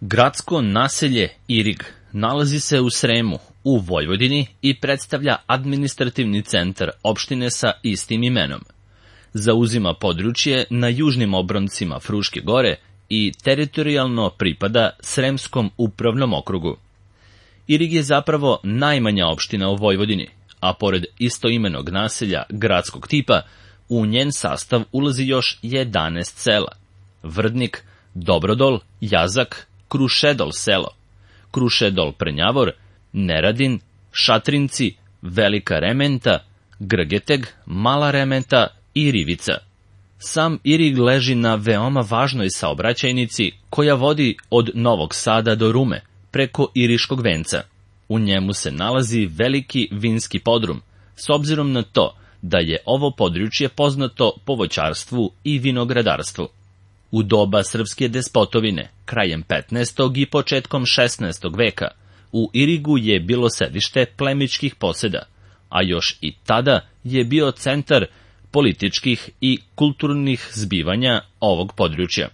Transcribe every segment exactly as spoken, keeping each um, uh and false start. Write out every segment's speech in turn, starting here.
Gradsko naselje Irig nalazi se u Sremu, u Vojvodini i predstavlja administrativni centar opštine sa istim imenom. Zauzima područje na južnim obroncima Fruške gore i teritorijalno pripada Sremskom upravnom okrugu. Irig je zapravo najmanja opština u Vojvodini, a pored istoimenog naselja gradskog tipa, u njen sastav ulazi još jedanaest sela: Vrdnik, Dobrodol, Jazak, Krušedol selo, Krušedol Prnjavor, Neradin, Šatrinci, Velika Rementa, Grgeteg, Mala Rementa i Rivica. Sam Irig leži na veoma važnoj saobraćajnici koja vodi od Novog Sada do Rume, preko Iriškog venca. U njemu se nalazi veliki vinski podrum, s obzirom na to da je ovo područje poznato po voćarstvu i vinogradarstvu. U doba srpske despotovine, krajem petnaestog i početkom šesnaestog veka, u Irigu je bilo sedište plemićkih poseda, a još i tada je bio centar političkih i kulturnih zbivanja ovog područja.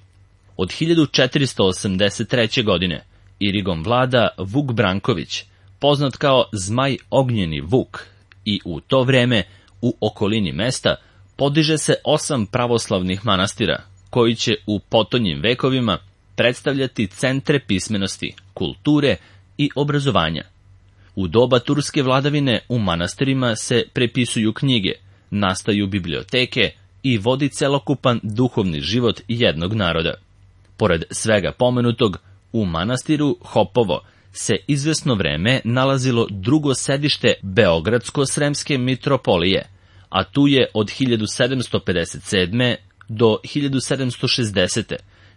Od hiljadu četiristo osamdeset treće. godine Irigom vlada Vuk Branković, poznat kao Zmaj Ognjeni Vuk, i u to vreme u okolini mesta podiže se osam pravoslavnih manastira, koji će u potonjim vekovima predstavljati centre pismenosti, kulture i obrazovanja. U doba turske vladavine u manastirima se prepisuju knjige, nastaju biblioteke i vodi celokupan duhovni život jednog naroda. Pored svega pomenutog, u manastiru Hopovo se izvesno vreme nalazilo drugo sedište Beogradsko-sremske mitropolije, a tu je od hiljadu sedamsto pedeset sedme. do hiljadu sedamsto šezdesete.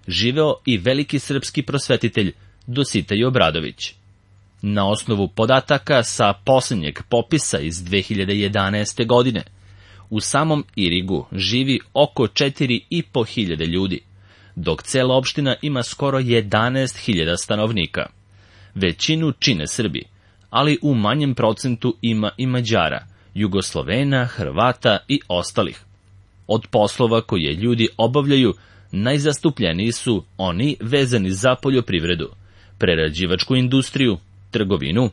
živeo i veliki srpski prosvetitelj Dositej Obradović. Na osnovu podataka sa posljednjeg popisa iz dve hiljade jedanaeste. godine, u samom Irigu živi oko četiri i po hiljade ljudi, dok cela opština ima skoro jedanaest hiljada stanovnika. Većinu čine Srbi, ali u manjem procentu ima i Mađara, Jugoslovena, Hrvata i ostalih. Od poslova koje ljudi obavljaju, najzastupljeniji su oni vezani za poljoprivredu, prerađivačku industriju, trgovinu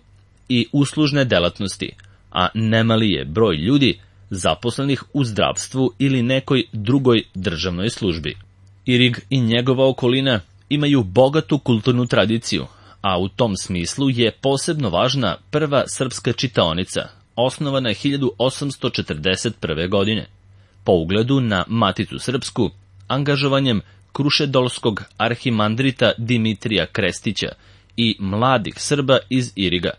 i uslužne delatnosti, a nemali je broj ljudi zaposlenih u zdravstvu ili nekoj drugoj državnoj službi. Irig i njegova okolina imaju bogatu kulturnu tradiciju, a u tom smislu je posebno važna prva srpska čitaonica, osnovana hiljadu osamsto četrdeset prve. godine. Po ugledu na Maticu srpsku, angažovanjem krušedolskog arhimandrita Dimitrija Krestića i mladih Srba iz Iriga.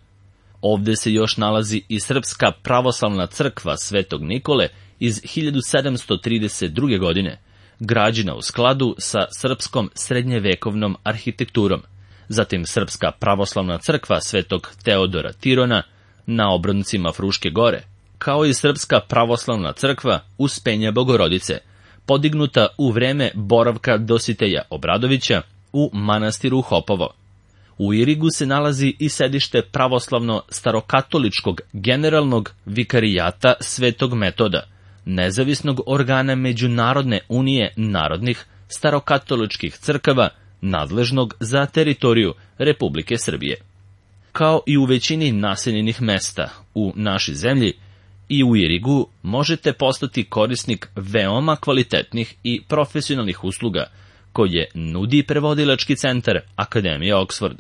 Ovde se još nalazi i Srpska pravoslavna crkva Svetog Nikole iz hiljadu sedamsto trideset druge. godine, građena u skladu sa srpskom srednjevekovnom arhitekturom. Zatim Srpska pravoslavna crkva Svetog Teodora Tirona na obroncima Fruške gore, kao i Srpska pravoslavna crkva Uspenja Bogorodice, podignuta u vreme boravka Dositeja Obradovića u manastiru Hopovo. U Irigu se nalazi i sedište pravoslavno starokatoličkog generalnog vikarijata Svetog Metoda, nezavisnog organa Međunarodne unije narodnih starokatoličkih crkava, nadležnog za teritoriju Republike Srbije. Kao i u većini naseljenih mesta u našoj zemlji, i u Irigu možete postati korisnik veoma kvalitetnih i profesionalnih usluga koje nudi prevodilački centar Akademije Oxford,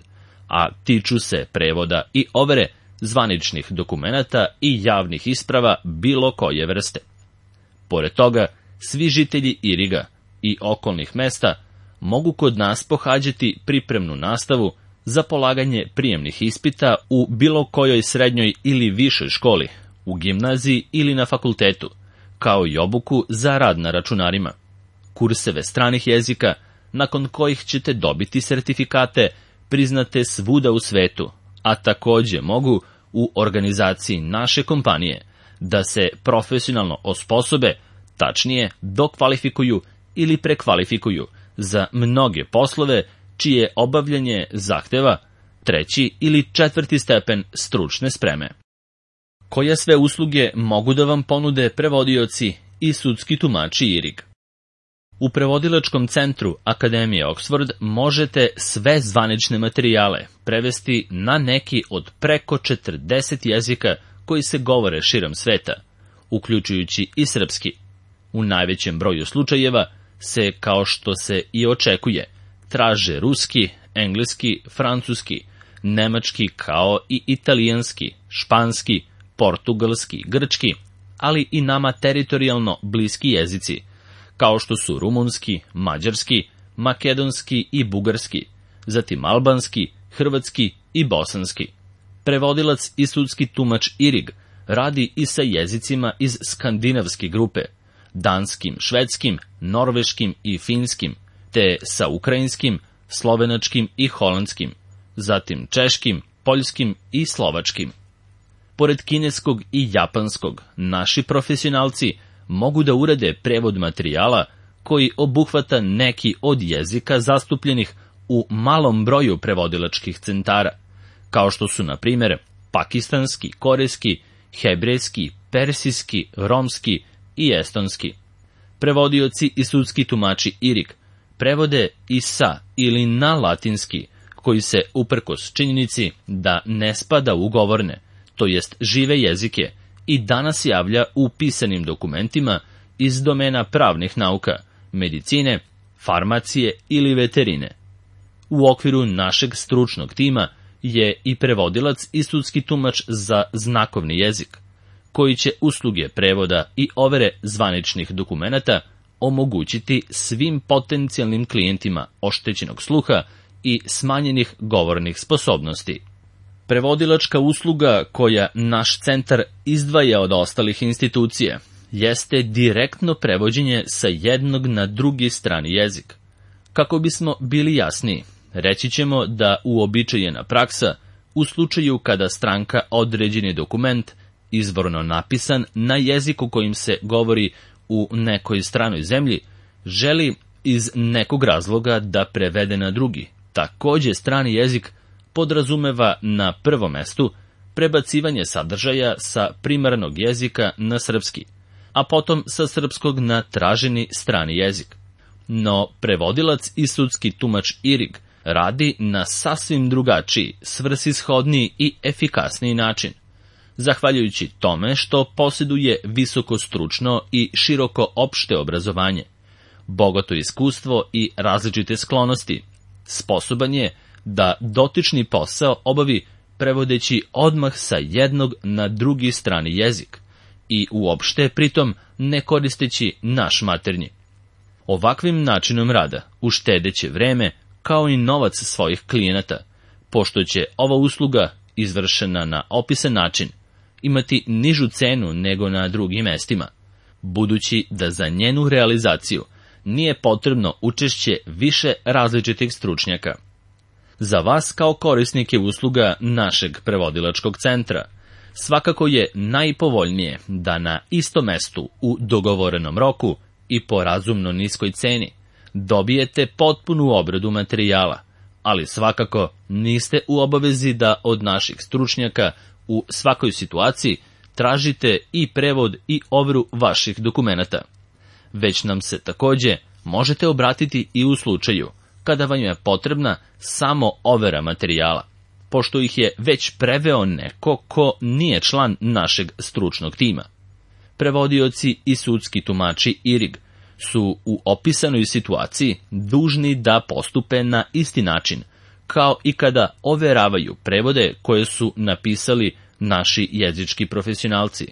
a tiču se prevoda i overe zvaničnih dokumenata i javnih isprava bilo koje vrste. Pored toga, svi žitelji Iriga i okolnih mesta mogu kod nas pohađati pripremnu nastavu za polaganje prijemnih ispita u bilo kojoj srednjoj ili višoj školi, u gimnaziji ili na fakultetu, kao i obuku za rad na računarima, kurseve stranih jezika, nakon kojih ćete dobiti sertifikate priznate svuda u svetu, a takođe mogu u organizaciji naše kompanije da se profesionalno osposobe, tačnije dokvalifikuju ili prekvalifikuju za mnoge poslove čije obavljanje zahteva treći ili četvrti stepen stručne spreme. Koje sve usluge mogu da vam ponude prevodioci i sudski tumači Irig? U prevodilačkom centru Akademije Oxford možete sve zvanične materijale prevesti na neki od preko četrdeset jezika koji se govore širom sveta, uključujući i srpski. U najvećem broju slučajeva se, kao što se i očekuje, traže ruski, engleski, francuski, nemački kao i italijanski, španski, portugalski, grčki, ali i nama teritorijalno bliski jezici, kao što su rumunski, mađarski, makedonski i bugarski, zatim albanski, hrvatski i bosanski. Prevodilac i sudski tumač Irig radi i sa jezicima iz skandinavske grupe, danskim, švedskim, norveškim i finskim, te sa ukrajinskim, slovenačkim i holandskim, zatim češkim, poljskim i slovačkim. Pored kineskog i japanskog, naši profesionalci mogu da urade prevod materijala koji obuhvata neki od jezika zastupljenih u malom broju prevodilačkih centara, kao što su, na primjer, pakistanski, korejski, hebrejski, persijski, romski i estonski. Prevodioci i sudski tumači Irig prevode i sa ili na latinski, koji se, uprkos činjenici da ne spada u govorne, to jest žive jezike, i danas javlja u pisanim dokumentima iz domena pravnih nauka, medicine, farmacije ili veterine. U okviru našeg stručnog tima je i prevodilac i sudski tumač za znakovni jezik, koji će usluge prevoda i overe zvaničnih dokumenata omogućiti svim potencijalnim klijentima oštećenog sluha i smanjenih govornih sposobnosti. Prevodilačka usluga koja naš centar izdvaja od ostalih institucija jeste direktno prevođenje sa jednog na drugi strani jezik. Kako bismo bili jasniji, reći ćemo da uobičajena praksa u slučaju kada stranka određeni dokument, izvorno napisan na jeziku kojim se govori u nekoj stranoj zemlji, želi iz nekog razloga da prevede na drugi, takođe strani jezik, podrazumeva na prvom mestu prebacivanje sadržaja sa primarnog jezika na srpski, a potom sa srpskog na traženi strani jezik. No, prevodilac i sudski tumač Irig radi na sasvim drugačiji, svrsishodniji i efikasniji način, zahvaljujući tome što posjeduje visoko stručno i široko opšte obrazovanje, bogato iskustvo i različite sklonosti. Sposoban je da dotični posao obavi prevodeći odmah sa jednog na drugi strani jezik i uopšte pritom ne koristeći naš maternji. Ovakvim načinom rada uštedeće vreme kao i novac svojih klijenata, pošto će ova usluga, izvršena na opisan način, imati nižu cenu nego na drugim mestima, budući da za njenu realizaciju nije potrebno učešće više različitih stručnjaka. Za vas kao korisnike usluga našeg prevodilačkog centra, svakako je najpovoljnije da na istom mestu u dogovorenom roku i po razumno niskoj ceni dobijete potpunu obradu materijala, ali svakako niste u obavezi da od naših stručnjaka u svakoj situaciji tražite i prevod i overu vaših dokumenata. Već nam se takođe možete obratiti i u slučaju kada vam je potrebna samo overa materijala, pošto ih je već preveo neko ko nije član našeg stručnog tima. Prevodioci i sudski tumači Irig su u opisanoj situaciji dužni da postupe na isti način, kao i kada overavaju prevode koje su napisali naši jezički profesionalci,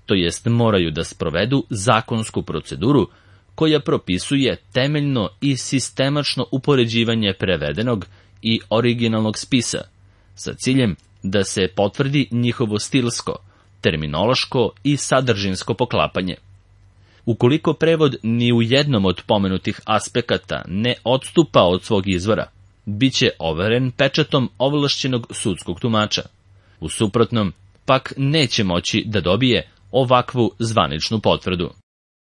to jest moraju da sprovedu zakonsku proceduru koja propisuje temeljno i sistemačno upoređivanje prevedenog i originalnog spisa, sa ciljem da se potvrdi njihovo stilsko, terminološko i sadržinsko poklapanje. Ukoliko prevod ni u jednom od pomenutih aspekata ne odstupa od svog izvora, bit će overen pečatom ovlašćenog sudskog tumača. U suprotnom, pak neće moći da dobije ovakvu zvaničnu potvrdu.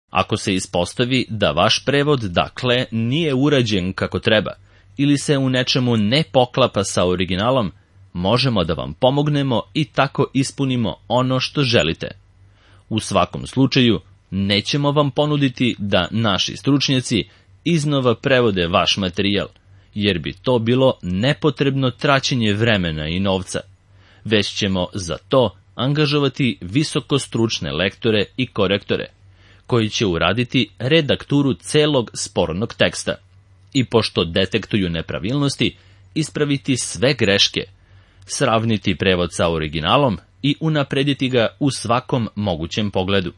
Ako se ispostavi da vaš prevod, dakle, nije urađen kako treba ili se u nečemu ne poklapa sa originalom, možemo da vam pomognemo i tako ispunimo ono što želite. U svakom slučaju, nećemo vam ponuditi da naši stručnjaci iznova prevode vaš materijal, jer bi to bilo nepotrebno traćenje vremena i novca, već ćemo za to angažovati visokostručne lektore i korektore, koji će uraditi redakturu celog spornog teksta i pošto detektuju nepravilnosti, ispraviti sve greške, sravniti prevod sa originalom i unaprediti ga u svakom mogućem pogledu.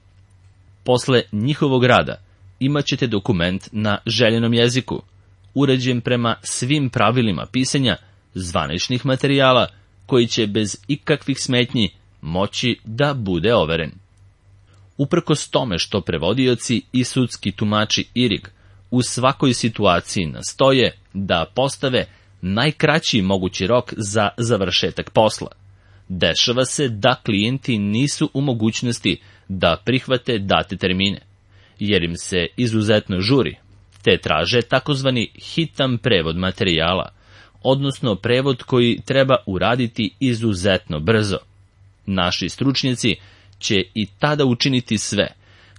Posle njihovog rada imat ćete dokument na željenom jeziku, uređen prema svim pravilima pisanja zvaničnih materijala, koji će bez ikakvih smetnji moći da bude overen. Uprkos tome što prevodioci i sudski tumači I R I G u svakoj situaciji nastoje da postave najkraći mogući rok za završetak posla, dešava se da klijenti nisu u mogućnosti da prihvate date termine, jer im se izuzetno žuri, te traže takozvani hitan prevod materijala, odnosno prevod koji treba uraditi izuzetno brzo. Naši stručnjaci će i tada učiniti sve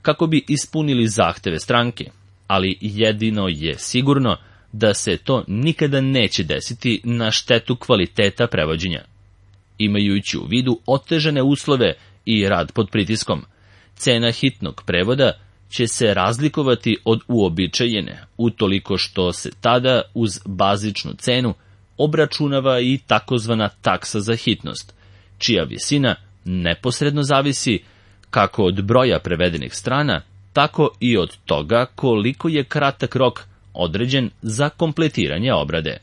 kako bi ispunili zahteve stranke, ali jedino je sigurno da se to nikada neće desiti na štetu kvaliteta prevođenja. Imajući u vidu otežane uslove i rad pod pritiskom, cena hitnog prevoda će se razlikovati od uobičajene, utoliko što se tada uz bazičnu cenu obračunava i takozvana taksa za hitnost, čija visina neposredno zavisi kako od broja prevedenih strana, tako i od toga koliko je kratak rok određen za kompletiranje obrade.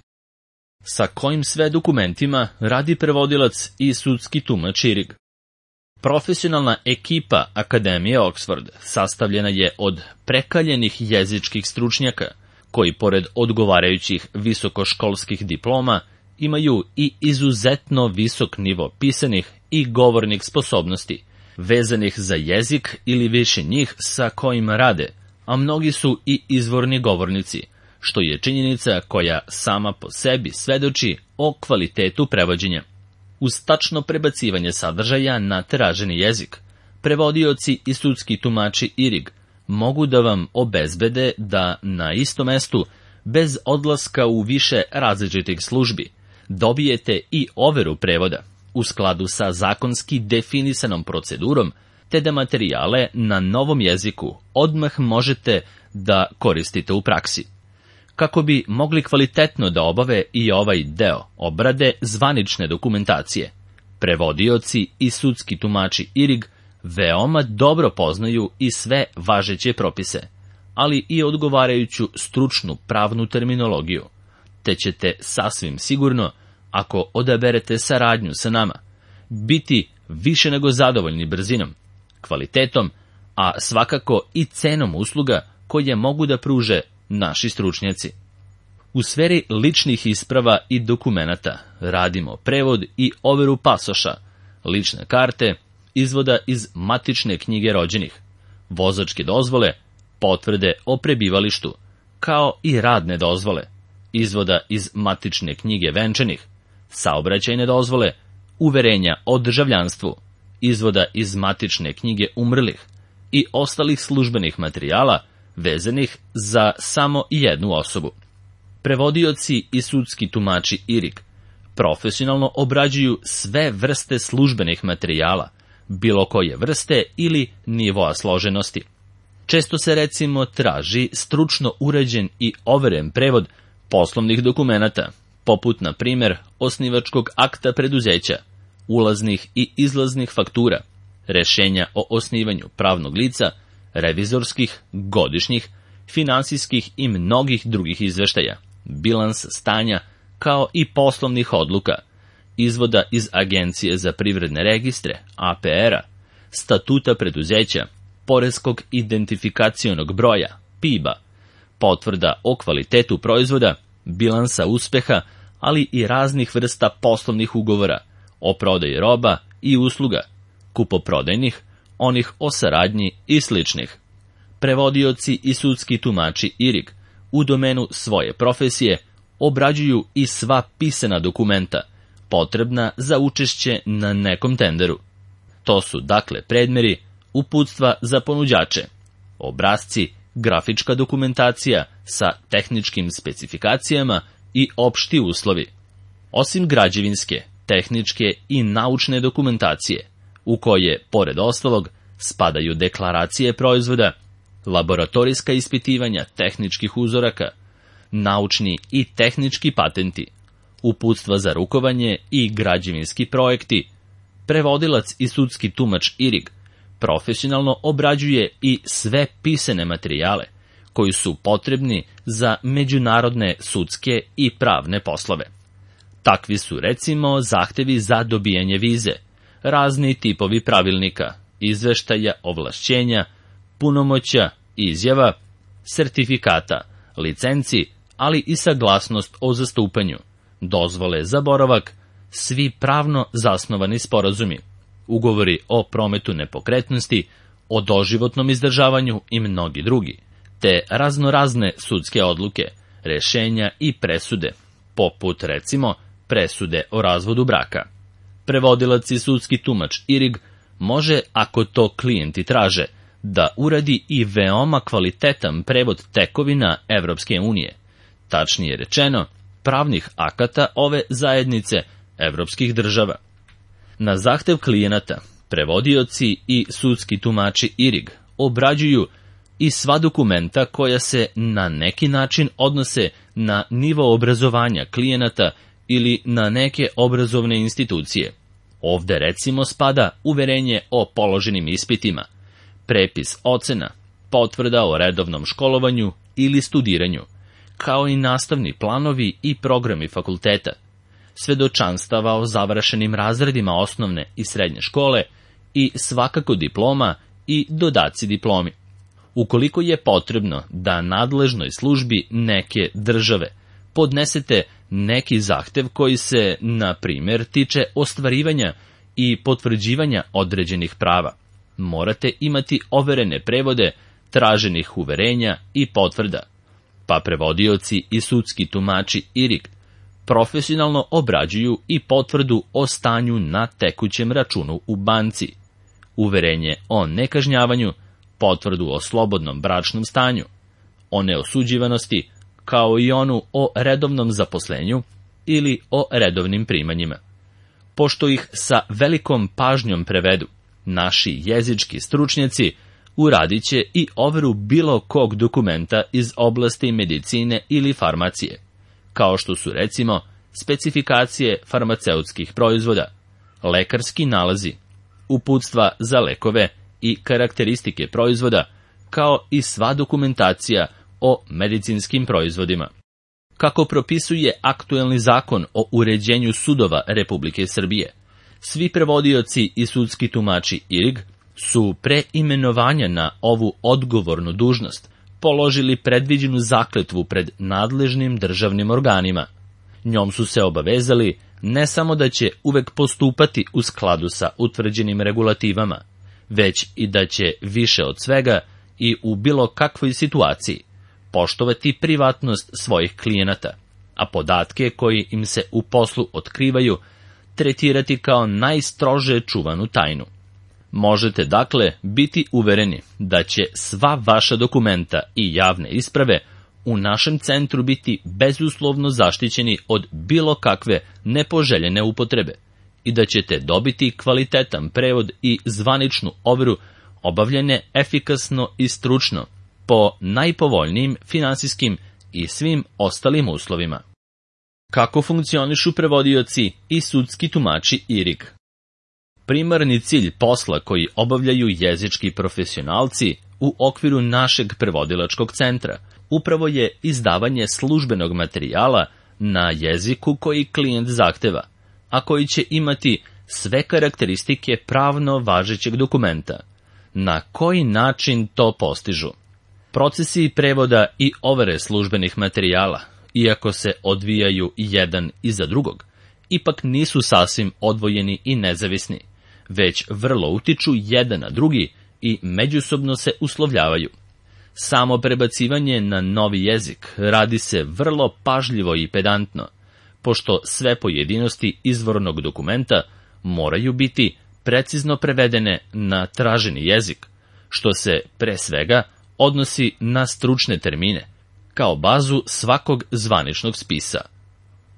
Sa kojim sve dokumentima radi prevodilac i sudski tumač I R I G? Profesionalna ekipa Akademije Oxford sastavljena je od prekaljenih jezičkih stručnjaka, koji pored odgovarajućih visokoškolskih diploma imaju i izuzetno visok nivo pisanih i govornih sposobnosti, vezanih za jezik ili više njih sa kojima rade, a mnogi su i izvorni govornici, što je činjenica koja sama po sebi svedoči o kvalitetu prevođenja. Uz tačno prebacivanje sadržaja na traženi jezik, prevodioci i sudski tumači I R I G mogu da vam obezbede da na istom mestu, bez odlaska u više različitih službi, dobijete i overu prevoda u skladu sa zakonski definisanom procedurom, te da materijale na novom jeziku odmah možete da koristite u praksi. Kako bi mogli kvalitetno da obave i ovaj deo obrade zvanične dokumentacije, prevodioci i sudski tumači I R I G veoma dobro poznaju i sve važeće propise, ali i odgovarajuću stručnu pravnu terminologiju, te ćete sasvim sigurno, ako odaberete saradnju sa nama, biti više nego zadovoljni brzinom, kvalitetom, a svakako i cenom usluga koje mogu da pruže naši stručnjaci. U sferi ličnih isprava i dokumenata radimo prevod i overu pasoša, lične karte, izvoda iz matične knjige rođenih, vozačke dozvole, potvrde o prebivalištu, kao i radne dozvole, izvoda iz matične knjige venčanih, saobraćajne dozvole, uverenja o državljanstvu, izvoda iz matične knjige umrlih i ostalih službenih materijala vezanih za samo jednu osobu. Prevodioci i sudski tumači I R I G profesionalno obrađuju sve vrste službenih materijala, bilo koje vrste ili nivoa složenosti. Često se recimo traži stručno uređen i overen prevod poslovnih dokumenata, poput na primjer osnivačkog akta preduzeća, ulaznih i izlaznih faktura, rešenja o osnivanju pravnog lica, revizorskih, godišnjih, finansijskih i mnogih drugih izveštaja, bilans stanja, kao i poslovnih odluka, izvoda iz Agencije za privredne registre, A P R-a, statuta preduzeća, poreskog identifikacionog broja, P I B-a, potvrda o kvalitetu proizvoda, bilansa uspeha, ali i raznih vrsta poslovnih ugovora o prodaji roba i usluga, kupoprodajnih, onih o saradnji i sličnih. Prevodioci i sudski tumači I R I G u domenu svoje profesije obrađuju i sva pisana dokumenta potrebna za učešće na nekom tenderu. To su dakle predmeri, uputstva za ponuđače, obrasci, grafička dokumentacija sa tehničkim specifikacijama i opšti uslovi. Osim građevinske, tehničke i naučne dokumentacije, u koje, pored ostalog, spadaju deklaracije proizvoda, laboratorijska ispitivanja tehničkih uzoraka, naučni i tehnički patenti, uputstva za rukovanje i građevinski projekti, prevodilac i sudski tumač I R I G profesionalno obrađuje i sve pisane materijale koji su potrebni za međunarodne sudske i pravne poslove. Takvi su recimo zahtevi za dobijanje vize, razni tipovi pravilnika, izveštaja, ovlašćenja, punomoćja, izjava, sertifikata, licenci, ali i saglasnost o zastupanju, dozvole za boravak, svi pravno zasnovani sporazumi, ugovori o prometu nepokretnosti, o doživotnom izdržavanju i mnogi drugi, te raznorazne sudske odluke, rešenja i presude, poput recimo presude o razvodu braka. Prevodilac i sudski tumač I R I G može, ako to klijenti traže, da uradi i veoma kvalitetan prevod tekovina Evropske unije, tačnije rečeno, pravnih akata ove zajednice evropskih država. Na zahtev klijenata, prevodioci i sudski tumači I R I G obrađuju i sva dokumenta koja se na neki način odnose na nivo obrazovanja klijenata ili na neke obrazovne institucije. Ovde recimo spada uverenje o položenim ispitima, prepis ocena, potvrda o redovnom školovanju ili studiranju, kao i nastavni planovi i programi fakulteta, svedočanstava o završenim razredima osnovne i srednje škole i svakako diploma i dodaci diplomi. Ukoliko je potrebno da nadležnoj službi neke države podnesete neki zahtev koji se, na primjer, tiče ostvarivanja i potvrđivanja određenih prava, morate imati overene prevode traženih uverenja i potvrda, pa prevodioci i sudski tumači I R I G profesionalno obrađuju i potvrdu o stanju na tekućem računu u banci, uverenje o nekažnjavanju, potvrdu o slobodnom bračnom stanju, o neosuđivanosti, kao i onu o redovnom zaposlenju ili o redovnim primanjima. Pošto ih sa velikom pažnjom prevedu, naši jezički stručnjaci uradit će i overu bilo kog dokumenta iz oblasti medicine ili farmacije, kao što su recimo specifikacije farmaceutskih proizvoda, lekarski nalazi, uputstva za lekove i karakteristike proizvoda, kao i sva dokumentacija o medicinskim proizvodima. Kako propisuje aktuelni zakon o uređenju sudova Republike Srbije, svi prevodioci i sudski tumači I R I G su pre imenovanja na ovu odgovornu dužnost položili predviđenu zakletvu pred nadležnim državnim organima. Njom su se obavezali ne samo da će uvek postupati u skladu sa utvrđenim regulativama, već i da će više od svega i u bilo kakvoj situaciji poštovati privatnost svojih klijenata, a podatke koji im se u poslu otkrivaju tretirati kao najstrože čuvanu tajnu. Možete dakle biti uvereni da će sva vaša dokumenta i javne isprave u našem centru biti bezuslovno zaštićeni od bilo kakve nepoželjene upotrebe i da ćete dobiti kvalitetan prevod i zvaničnu overu obavljene efikasno i stručno po najpovoljnijim finansijskim i svim ostalim uslovima. Kako funkcionišu prevodioci i sudski tumači I R I G? Primarni cilj posla koji obavljaju jezički profesionalci u okviru našeg prevodilačkog centra upravo je izdavanje službenog materijala na jeziku koji klijent zahteva, a koji će imati sve karakteristike pravno važećeg dokumenta. Na koji način to postižu? Procesi prevoda i overe službenih materijala, iako se odvijaju jedan iza drugog, ipak nisu sasvim odvojeni i nezavisni, već vrlo utiču jedan na drugi i međusobno se uslovljavaju. Samo prebacivanje na novi jezik radi se vrlo pažljivo i pedantno, pošto sve pojedinosti izvornog dokumenta moraju biti precizno prevedene na traženi jezik, što se, pre svega, odnosi na stručne termine, kao bazu svakog zvaničnog spisa.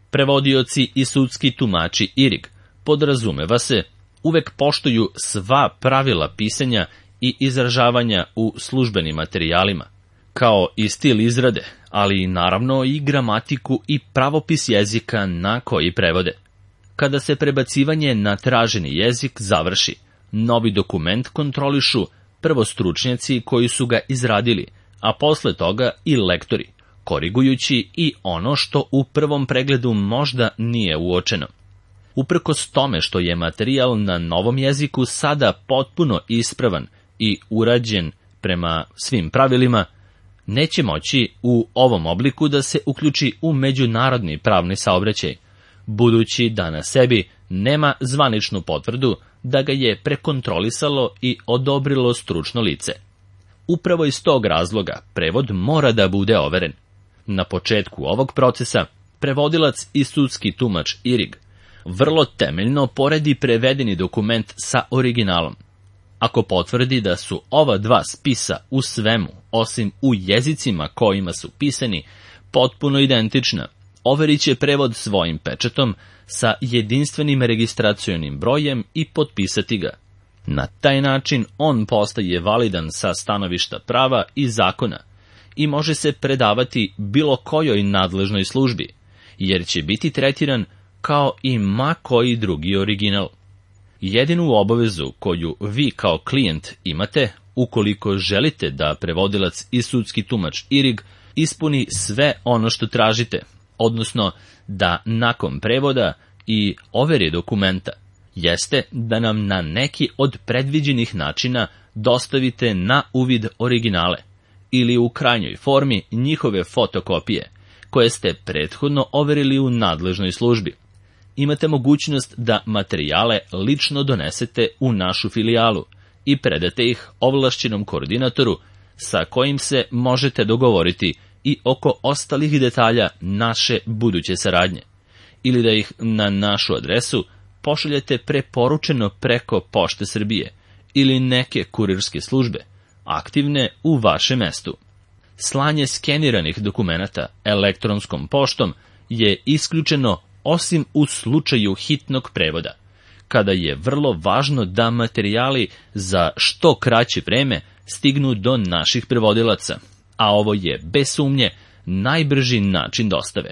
Prevodioci i sudski tumači I R I G, podrazumeva se, uvek poštuju sva pravila pisanja i izražavanja u službenim materijalima, kao i stil izrade, ali naravno i gramatiku i pravopis jezika na koji prevode. Kada se prebacivanje na traženi jezik završi, novi dokument kontrolišu prvo stručnjaci koji su ga izradili, a posle toga i lektori, korigujući i ono što u prvom pregledu možda nije uočeno. Uprkos tome što je materijal na novom jeziku sada potpuno ispravan i urađen prema svim pravilima, neće moći u ovom obliku da se uključi u međunarodni pravni saobraćaj, budući da na sebi nema zvaničnu potvrdu da ga je prekontrolisalo i odobrilo stručno lice. Upravo iz tog razloga prevod mora da bude overen. Na početku ovog procesa, prevodilac i sudski tumač I R I G vrlo temeljno poredi prevedeni dokument sa originalom. Ako potvrdi da su ova dva spisa u svemu, osim u jezicima kojima su pisani, potpuno identična, overit će prevod svojim pečatom sa jedinstvenim registracionim brojem i potpisati ga. Na taj način on postaje validan sa stanovišta prava i zakona i može se predavati bilo kojoj nadležnoj službi, jer će biti tretiran kao i ma koji drugi original. Jedinu obavezu koju vi kao klijent imate, ukoliko želite da prevodilac i sudski tumač I R I G ispuni sve ono što tražite, odnosno da nakon prevoda i overe dokumenta, jeste da nam na neki od predviđenih načina dostavite na uvid originale ili u krajnjoj formi njihove fotokopije, koje ste prethodno overili u nadležnoj službi. Imate mogućnost da materijale lično donesete u našu filijalu i predate ih ovlašćenom koordinatoru sa kojim se možete dogovoriti i oko ostalih detalja naše buduće saradnje, ili da ih na našu adresu pošaljete preporučeno preko Pošte Srbije ili neke kurirske službe, aktivne u vašem mestu. Slanje skeniranih dokumenata elektronskom poštom je isključeno osim u slučaju hitnog prevoda, kada je vrlo važno da materijali za što kraće vreme stignu do naših prevodilaca, a ovo je, bez sumnje, najbrži način dostave.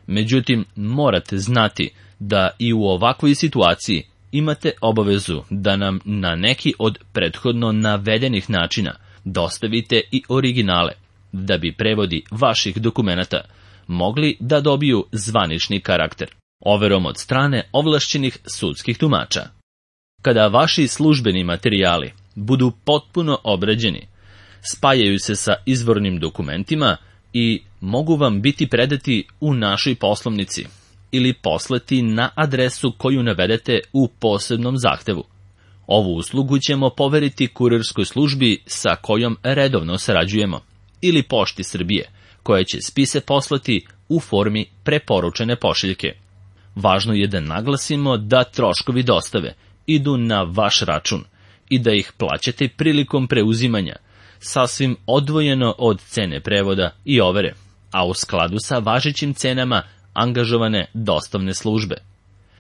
Međutim, morate znati da i u ovakvoj situaciji imate obavezu da nam na neki od prethodno navedenih načina dostavite i originale, da bi prevodi vaših dokumenata mogli da dobiju zvanični karakter, overom od strane ovlašćenih sudskih tumača. Kada vaši službeni materijali budu potpuno obrađeni, spajaju se sa izvornim dokumentima i mogu vam biti predati u našoj poslovnici ili poslati na adresu koju navedete u posebnom zahtevu. Ovu uslugu ćemo poveriti kurirskoj službi sa kojom redovno sarađujemo, ili Pošti Srbije, koja će spise poslati u formi preporučene pošiljke. Važno je da naglasimo da troškovi dostave idu na vaš račun i da ih plaćate prilikom preuzimanja, sasvim odvojeno od cene prevoda i overe, a u skladu sa važećim cenama angažovane dostavne službe.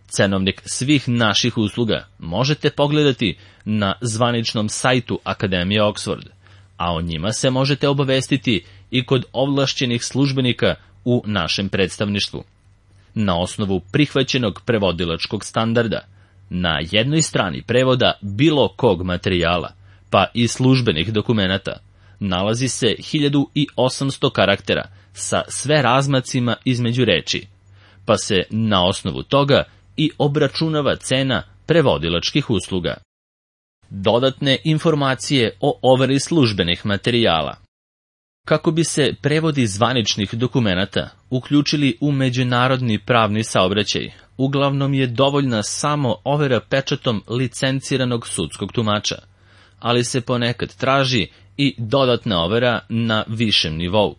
Cenovnik svih naših usluga možete pogledati na zvaničnom sajtu Akademije Oxford, a o njima se možete obavestiti i kod ovlašćenih službenika u našem predstavništvu. Na osnovu prihvaćenog prevodilačkog standarda, na jednoj strani prevoda bilo kog materijala, pa i službenih dokumenata, nalazi se hiljadu osamsto karaktera sa sve razmacima između reči, pa se na osnovu toga i obračunava cena prevodilačkih usluga. Dodatne informacije o overi službenih materijala. Kako bi se prevodi zvaničnih dokumenata uključili u međunarodni pravni saobraćaj, uglavnom je dovoljna samo overa pečatom licenciranog sudskog tumača, ali se ponekad traži i dodatna overa na višem nivou.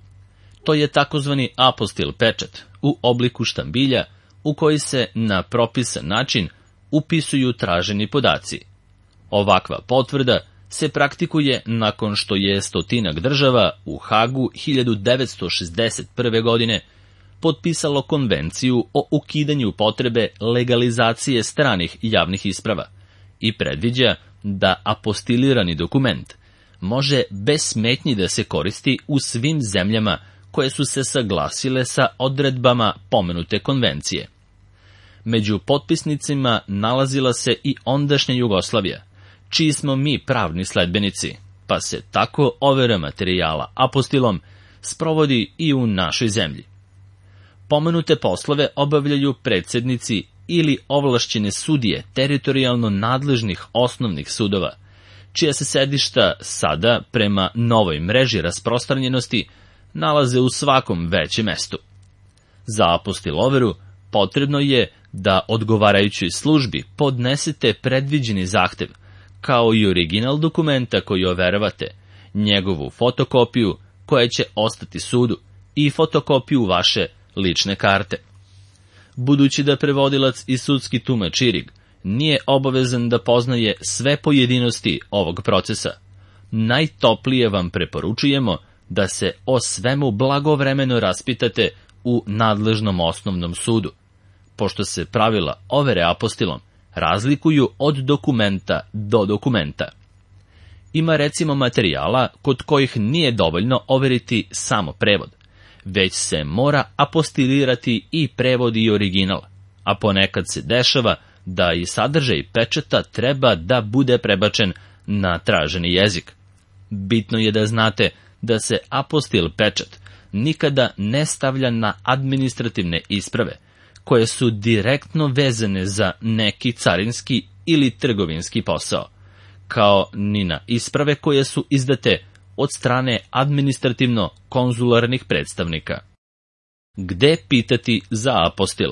To je takozvani apostil pečat u obliku štambilja u koji se na propisan način upisuju traženi podaci. Ovakva potvrda se praktikuje nakon što je stotinak država u Hagu hiljadu devetsto šezdeset prve. godine potpisalo konvenciju o ukidanju potrebe legalizacije stranih javnih isprava i predviđa da apostilirani dokument može bez smetnji da se koristi u svim zemljama koje su se saglasile sa odredbama pomenute konvencije. Među potpisnicima nalazila se i ondašnja Jugoslavija, čiji smo mi pravni sledbenici, pa se tako overa materijala apostilom sprovodi i u našoj zemlji. Pomenute poslove obavljaju predsednici ili ovlašćene sudije teritorijalno nadležnih osnovnih sudova, čija se sedišta sada, prema novoj mreži rasprostranjenosti, nalaze u svakom većem mestu. Za apostiloveru potrebno je da odgovarajućoj službi podnesete predviđeni zahtev, kao i original dokumenta koji overavate, njegovu fotokopiju koja će ostati sudu i fotokopiju vaše lične karte. Budući da prevodilac i sudski tumač Irig nije obavezan da poznaje sve pojedinosti ovog procesa, najtoplije vam preporučujemo da se o svemu blagovremeno raspitate u nadležnom osnovnom sudu, pošto se pravila overe apostilom razlikuju od dokumenta do dokumenta. Ima recimo materijala kod kojih nije dovoljno overiti samo prevod, već se mora apostilirati i prevod i original, a ponekad se dešava da i sadržaj pečata treba da bude prebačen na traženi jezik. Bitno je da znate da se apostil pečat nikada ne stavlja na administrativne isprave, koje su direktno vezane za neki carinski ili trgovinski posao, kao ni na isprave koje su izdate od strane administrativno-konzularnih predstavnika. Gde pitati za apostil?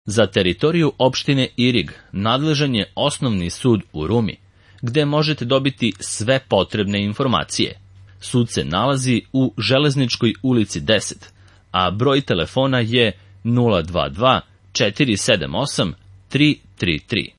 Za teritoriju opštine Irig nadležan je osnovni sud u Rumi, gde možete dobiti sve potrebne informacije. Sud se nalazi u Železničkoj ulici deset, a broj telefona je nula dva dva četiri sedam osam tri tri tri.